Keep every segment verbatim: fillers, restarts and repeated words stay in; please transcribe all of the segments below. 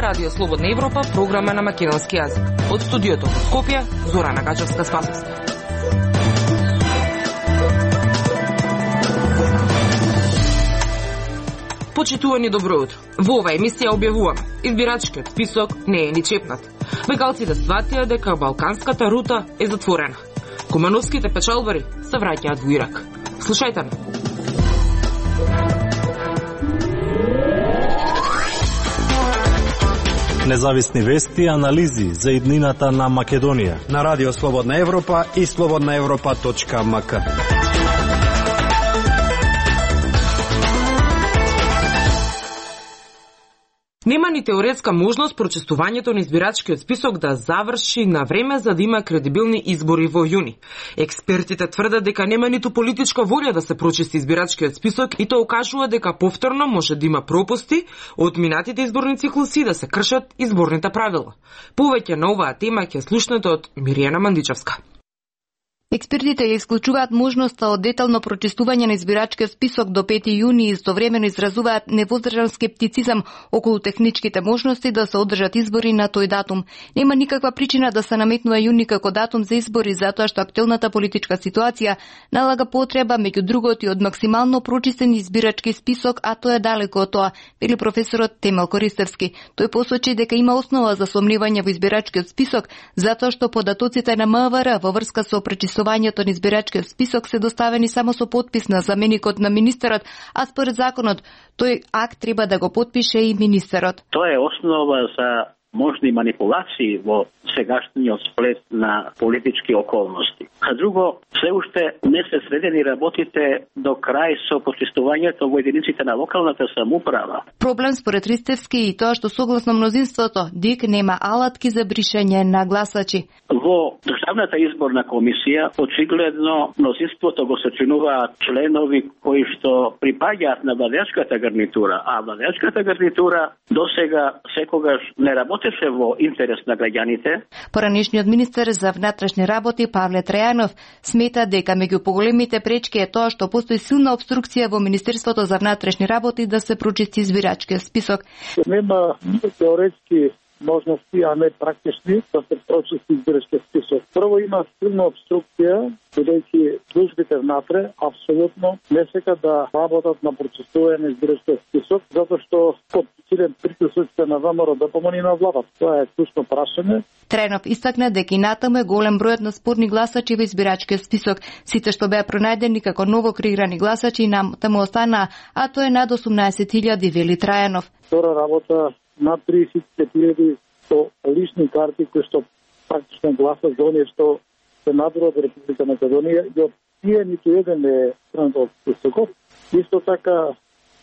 Радио Слободна Европа, програма на македонски јазик. Од студиото во Скопје, Зорана Гачевска-Спасовска. Почитувани, добро утро. Во оваа емисија објавуваме: избирачкиот список не е ни чепнат. Бегалците сватија дека балканската рута е затворена. Кумановските печалбари се враќаат во Ирак. Слушајте ме. Независни вести и анализи за иднината на Македонија на Радио Слободна Европа и слободна европа точка ем ка. Нема ни теоретска можност прочистувањето на избирачкиот список да заврши на време за да има кредибилни избори во јуни. Експертите тврдат дека нема ниту политичка волја да се прочисти избирачкиот список и тоа укажува дека повторно може да има пропусти од минатите изборни циклуси да се кршат изборните правила. Повеќе на оваа тема ќе слушнете од Миријана Мандичевска. Експертите ја исклучуваат можноста од детално прочистување на избирачкиот список до пети јуни и истовремено изразуваат невоздржан скептицизам околу техничките можности да се одржат избори на тој датум. Нема никаква причина да се наметнува јуни како датум за избори, затоа што актуелната политичка ситуација налага потреба меѓу другото и од максимално прочистен избирачки список, а тоа е далеко од тоа, вели професорот Темел Користевски. Тој посочи дека има основа за сомневање во избирачкиот список, затоа што податоците на М В Р во врска со пречистувањето на избирачкиот список се доставени само со подпис на заменикот на министерот, а според законот тој акт треба да го потпише и министерот. Тоа е основа за можни манипулации во сегашниот сплет на политички околности. А друго, се уште не се средени работите до крај со почистувањето во единиците на локалната самоуправа. Проблем според Ристевски и тоа што согласно мнозинството ДИК нема алатки за бришење на гласачи. Во Државната изборна комисија очигледно мнозинството го сочинуваат членови кои што припаѓаат на владеачката гарнитура, а владеачката гарнитура досега секогаш не работеше во интерес на граѓаните. Поранешниот министер за внатрешни работи Павле Трајанов смета дека меѓу поголемите пречки е тоа што постои силна обструкција во Министерството за внатрешни работи да се прочисти избирачкиот список. Нема теоретски можности, а не практични, да се прочисти избирачкиот список. Прво има силна обструкција, бидејќи службите внатре апсолутно не сека да работат на прочистување на избирачкиот список, затоа што под силен притисок на ВМРО да помани на владата. Тоа е клучно прашање. Тренов истакна дека и натаму е голем бројот на спорни гласачи во избирачкиот список. Сите што беа пронајдени како ново креирани гласачи натаму останаа, а тоа е над осумнаесет илјади, вели Трајанов. Втора работа над триесет илјади со лични карти кои што практично гласат за оние што се надвор од Република Македонија и од тие ниту еден е странат од списокот. Исто така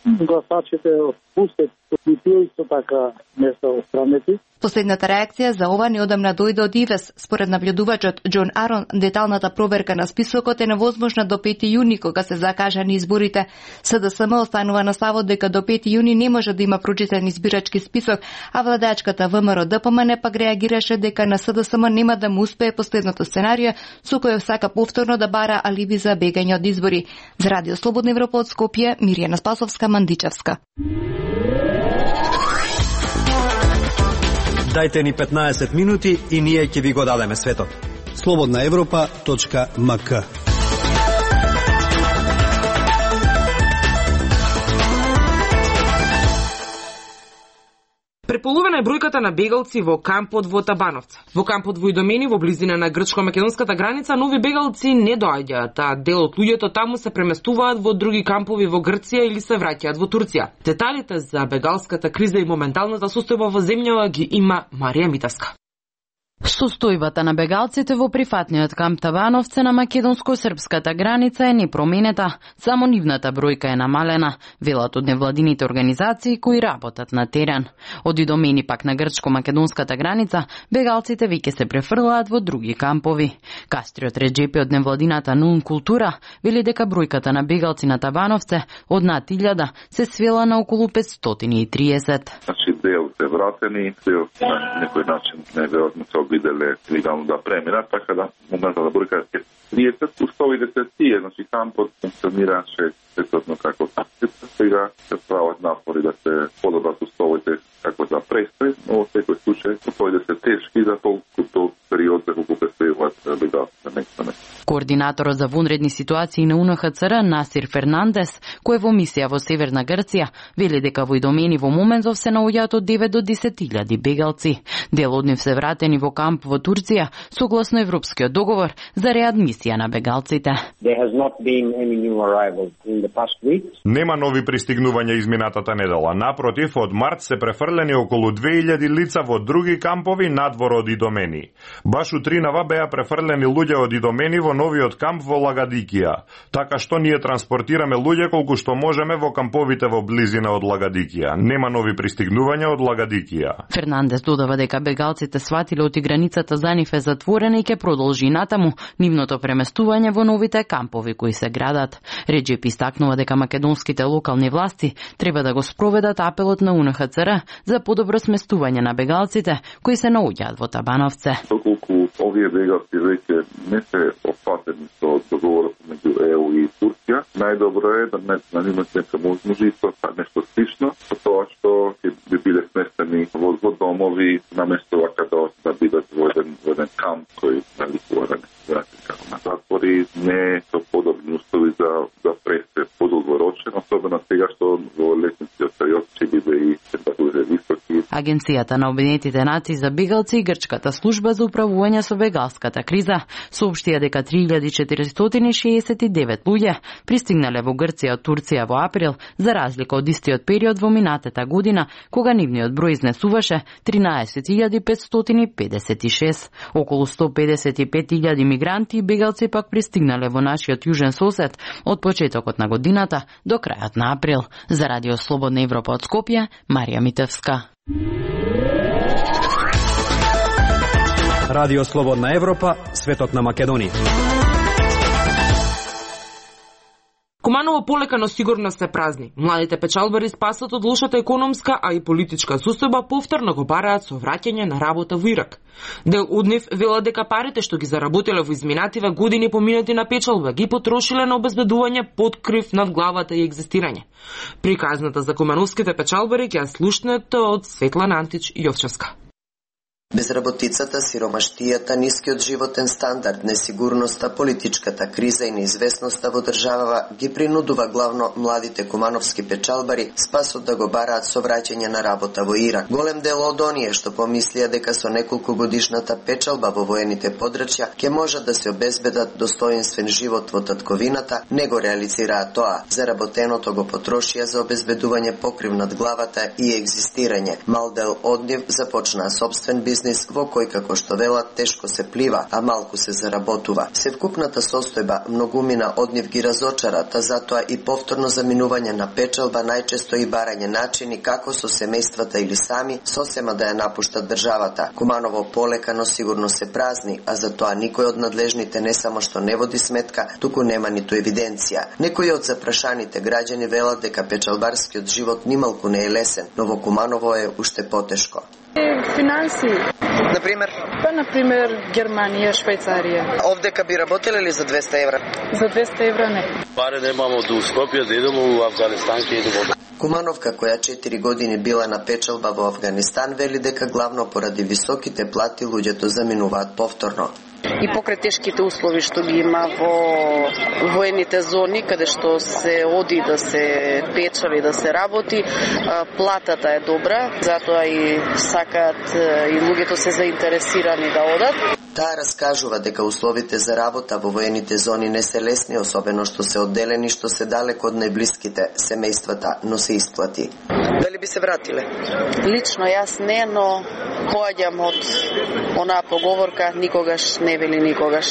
гласачите од Пустет и тие исто така не се отстранети. Последната реакција за ова неодамна дојде од ИВЕС. Според наблюдувачот Џон Арон, деталната проверка на списокот е невозможна до пети јуни, кога се закажани изборите. СДСМ останува на ставот дека до пети јуни не може да има прочитен избирачки список, а владеачката ВМРО ДПМН пак реагираше дека на СДСМ нема да му успее последното сценарио, со кој сака повторно да бара алиби за бегање од избори. За Радио Слободна Европа од Скопје, Миријана Спасовска, Мандичевска. Дајте ни петнаесет минути и ние ќе ви го дадеме светот. слободна европа точка ем ка. Преполовена е бројката на бегалци во кампот во Табановце. Во кампот во Идомени, во близина на грчко-македонската граница, нови бегалци не доаѓаат, а дел од луѓето таму се преместуваат во други кампови во Грција или се враќаат во Турција. Деталите за бегалската криза и моменталната состојба во земјава ги има Марија Митаска. Состојбата на бегалците во прифатниот камп Табановце на македонско-српската граница е непроменета, само нивната бројка е намалена, велат од невладините организации кои работат на терен. Од Идомени пак на грчко-македонската граница, бегалците веќе се префрлаат во други кампови. Кастриот Реджепи од невладината Нун Култура вели дека бројката на бегалци на Табановце од над илјада се свела на околу петстотини и триесет. Значи, дел се вратени, дел на некој начин неверојатно виделе легално да преминат, така да моментална бројка е триесет, уставите се тие, значи кампот функционираше сетотно како таксица, сега се прават напори да се подобрат уставите како за престој, но во секој случај уставите се тешки за толку период за колку престојуваат бегалците меѓу. Координаторот за вонредни ситуации на У Н Х Ц Р Насир Фернандес, кој е во мисија во Северна Грција, вели дека во Идомени во моментов се наоѓаат од девет до десет илјади бегалци. Дел од нив се вратени во камп во Турција, согласно Европскиот договор за реадмисија на бегалците. Нема нови пристигнувања изминатата недела. Напротив, од март се префрлени околу две илјади лица во други кампови надвор од Идомени. Баш утринава беа префрлени луѓе од Идомени во новиот камп во Лагадикија. Така што ние транспортираме луѓе колку што можеме во камповите во близина од Лагадикија. Нема нови пристигнувања од Лагадикија. Фернандес додава дека бегалците сватиле оти границата за нив е затворена и ќе продолжи натаму нивното преместување во новите кампови кои се градат. Реджеп истакнува дека македонските локални власти треба да го спроведат апелот на У Н Х Ц Р за подобро сместување на бегалците кои се наоѓаат во Табановце. Доколку овие бегалци веќе не се опфатени со договорот меѓу Е У и Турција, најдобро е да не на нивно нека можности со нешто слично, со тоа што ќе би биле сместени во, во домови наместо вака да, да бидат во еден, во еден камп кој наликува да не се вратат како на затвори, не со подобни услови за да престе подолгорочен, особено сега што во летниот период ќе биде и температури високи. Агенцијата на Обединетите нации за бегалци и Грчката служба за управување со бегалската криза соопштија дека три илјади четиристотини шеесет и девет луѓе пристигнале во Грција од Турција во април, за разлика од истиот период во минатата година, кога нивниот број изнесуваше тринаесет илјади петстотини педесет и шест. Околу сто педесет и пет илјади мигранти и бегалци пак пристигнале во нашиот јужен сосед од почетокот на годината до крајот на април. За Радио Слободна Европа од Скопје, Марија Митевска. Радио Слободна Европа, светот на Македонија. Куманово полека, но сигурно се празни. Младите печалбари спасат од лошата економска, а и политичка состојба повторно го бараат со враќање на работа во Ирак. Дел од нив велат дека парите што ги заработиле во изминативе години поминати на печалба ги потрошиле на обезбедување под крив над главата и екзистирање. Приказната за кумановските печалбари ќе ја слушнете од Светлана Антич Јовчевска. Безработицата, сиромаштијата, нискиот животен стандард, несигурноста, политичката криза и неизвестноста во државава ги принудува главно младите кумановски печалбари спасот да го бараат со враќање на работа во Ирак. Голем дел од оние што помислија дека со неколку годишната печалба во воените подрачја ќе можат да се обезбедат достоинствен живот во татковината, не го реализираа тоа. Заработеното го потрошија за обезбедување покрив над главата и екзистирање. Мал дел од нив започнаа собствен бизнес во кој, како што велат, тешко се плива, а малку се заработува. Севкупната состојба многумина од нив ги разочарат, а затоа и повторно заминување на печалба, најчесто и барање начини како со семејствата или сами сосема да ја напуштат државата. Куманово полека, но сигурно се празни, а затоа никој од надлежните не само што не води сметка, туку нема ниту евиденција. Некои од запрашаните граѓани велат дека печалбарскиот живот нималку не е лесен, но во Куманово е уште потешко. Финанси. Например? Па, например, Германија, Швајцарија. Овдека би работеле ли за двеста евра? За двеста евра не. Пари немамо до Скопје, да идемо во Авганистан, ќе идемо. Кумановка, која четири години била на печалба во Авганистан, вели дека главно поради високите плати луѓето заминуваат повторно. И покрај тешките услови што ги има во воените зони, каде што се оди да се печали, да се работи, платата е добра, затоа и сакаат и луѓето се заинтересирани да одат. Таа раскажува дека условите за работа во воените зони не се лесни, особено што се одделени, што се далеко од најблиските семејствата, но се исплати. Дали би се вратиле? Лично јас не, но поаѓам од онаа поговорка никогаш не вели никогаш.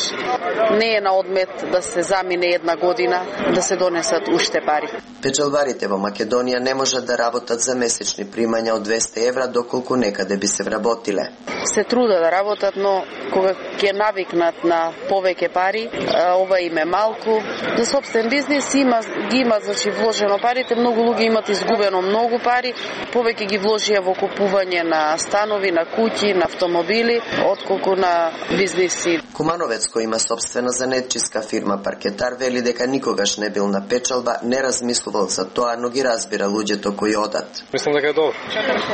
Не е на одмет да се замине една година, да се донесат уште пари. Печалбарите во Македонија не можат да работат за месечни примања од двеста евра, доколку некаде би се вработиле. Се труда да работат, но кога ќе навикнат на повеќе пари, ова им е малку. За собствен бизнес има, ги имат, значи, вложено парите, многу луѓе имат изгубено многу пари, повеќе ги вложија во купување на станови, на куќи, на автомобили, отколку на бизниси. Кумановец, кој има собствена занетчиска фирма Паркетар, вели дека никогаш не бил на печалба, не размислувал за тоа, но ги разбира луѓето кои одат. Мислам дека е добро.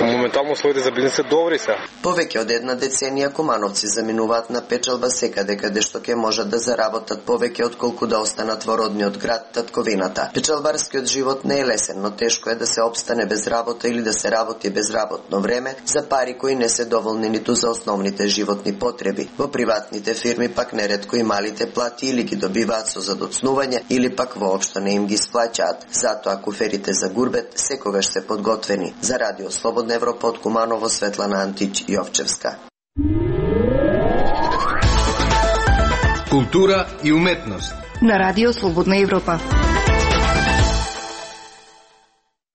Моментално условите за бизнис се добри се. Повеќе од една деценија кумановци заминуваат на печалба секаде каде што ќе можат да заработат повеќе отколку да останат во родниот град, татковината. Печалбарскиот живот не е лесен, но тешко е да се обстане без работа или да се работи без работно време за пари кои не се доволни ниту за основните животни потреби. Во приватните фирми пак неретко и малите плати или ги добиваат со задоцнување или пак воопшто не им ги сплаќаат. Затоа куферите за гурбет секогаш се подготвени. За Радио Слободна Европа од Куманово, Светлана Антич, Јовчевска. Култура и уметност на Радио Слободна Европа.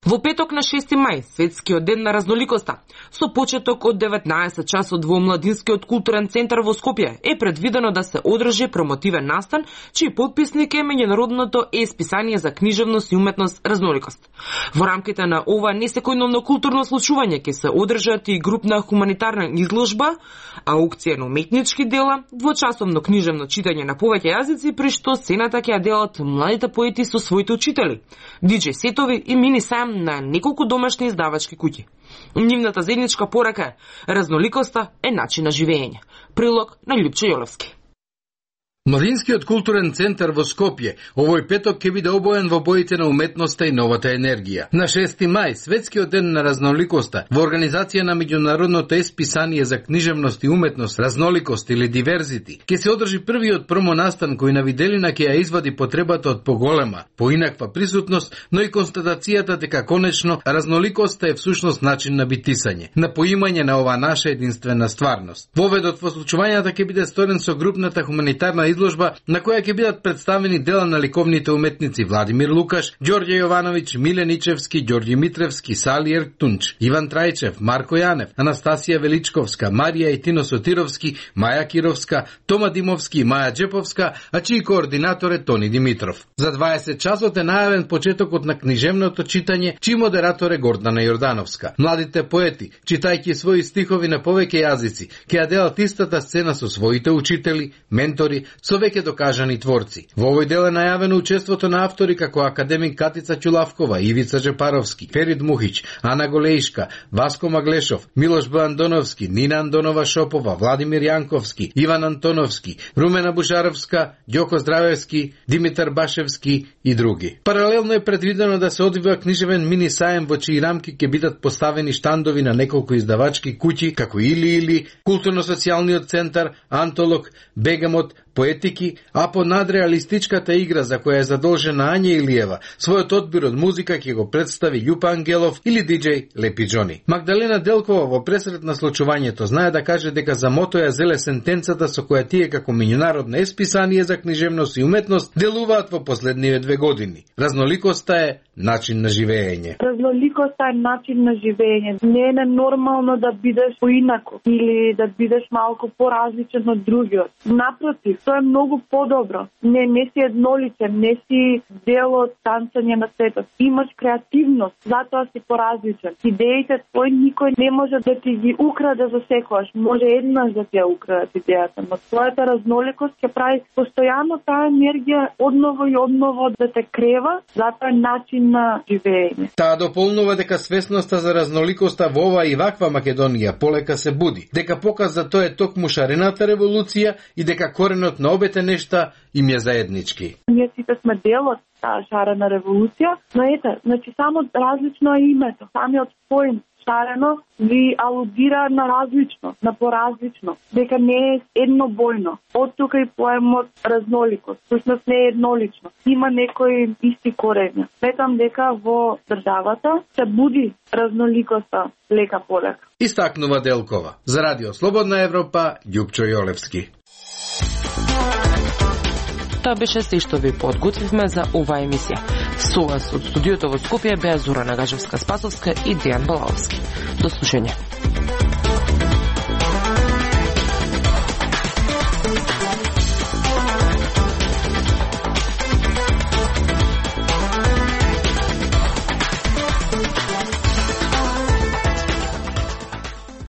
Во петок на шести мај, светскиот ден на разноликоста, со почеток од деветнаесет часот во Младинскиот културен центар во Скопје, е предвидено да се одржи промотивен настан, чиј потписник е меѓународното е-списание за книжевност и уметност Разноликост. Во рамките на ова несекојдневно културно случување ќе се одржат и групна хуманитарна изложба, аукција на уметнички дела, двочасовно книжевно читање на повеќе јазици, при што сцената ќе ја делат младите поети со своите учители, диџеј сетови и мини сајм на неколку домашни издавачки куќи. Нивната заедничка порака е: разноликоста е начин на живење. Прилог на Љупчо Јолевски. Младинскиот културен центар во Скопје овој петок ќе биде обоен во боите на уметноста и новата енергија. На шести мај, светскиот ден на разноликоста, во организација на меѓународното е-списание за книжевност и уметност Разноликост или Диверзити, ќе се одржи првиот промонастан кој на виделина ќе ја извади потребата од поголема, поинаква присутност, но и констатацијата дека конечно разноликоста е всушност начин на битисање, на поимање на ова наша единствена стварност. Воведот во случувањата ќе биде сторен со групната хуманитарна изложба на која ќе бидат представени дела на ликовните уметници Владимир Лукаш, Ѓорѓе Јовановиќ, Миле Ничевски, Ѓорѓи Митревски, Сали Ерктунч, Иван Трајчев, Марко Јанев, Анастасија Величковска, Марија и Тино Сотировски, Маја Кировска, Тома Димовски и Маја Джеповска, а чиј координатор е Тони Димитров. За дваесет часот е најавен почетокот на книжевното читање, чиј модератор е Гордана Јордановска. Младите поети, читајќи своји стихови на повеќе јазици, ќе ја делат истата сцена со своите учители, ментори, со веќе докажани творци. Во овој дел е најавено учеството на автори како академик Катица Ќулавкова, Ивица Джепаровски, Ферид Мухиć, Ана Голеишка, Васко Маглешов, Милош Б. Андоновски, Нина Андонова Шопова, Владимир Јанковски, Иван Антоновски, Румена Бушаровска, Ѓоко Здравевски, Димитар Башевски и други. Паралелно е предвидено да се одвива книжевен мини саем во чии рамки ќе бидат поставени штандови на неколку издавачки куќи како Или Или, Културно-социјалниот центар, Антолог, Бегамот, Поетики, а по надреалистичката игра за која е задолжена Ања Илиева, својот одбир од музика ќе го представи Љупа Ангелов или диџеј Лепи Џони. Магдалена Делкова во пресрет на случувањето знае да каже дека за мото ја зеле сентенцата со која тие како меѓународно е-списание за книжевност и уметност делуваат во последниве две години. Разноликоста е начин на живење. Разноликоста е начин на живење. Не е нормално да бидеш поинако или да бидеш малку поразличен од другиот. Напротив, тоа е многу подобро. Не, не си едноличен, не си дел од танцање на светот. Имаш креативност, затоа си поразличен. Идеите твои никој не може да ти ги украде за секојаш. Може еднаш да ти ја украде идејата, но твојата разноликост ќе прави постојано таа енергија одново и одново да те крева, затоа е начин на живење. Таа дополнува дека свесноста за разноликоста во ова и ваква Македонија полека се буди, дека показ за тоа е токму шарената револуција и дека коренот на обете нешта им е заеднички. Ние сите сме дел од таа шарена револуција, но ете, значи само различно е името, самиот поим шарено ви алудира на различно, на поразлично, дека не е еднобојно. Од тука и поемот разноликост, всушност не е еднолично. Има некои исти корени. Сметам дека во државата се буди разноликоста лека полека. Истакнува Делкова. За Радио Слободна Европа, Љупчо Јолевски. Тоа беше се што ви подготвивме за оваа емисија. Со вас од студиото во Скопје беа Зора Нагажевска-Спасовска и Дејан Балаовски. До слушање.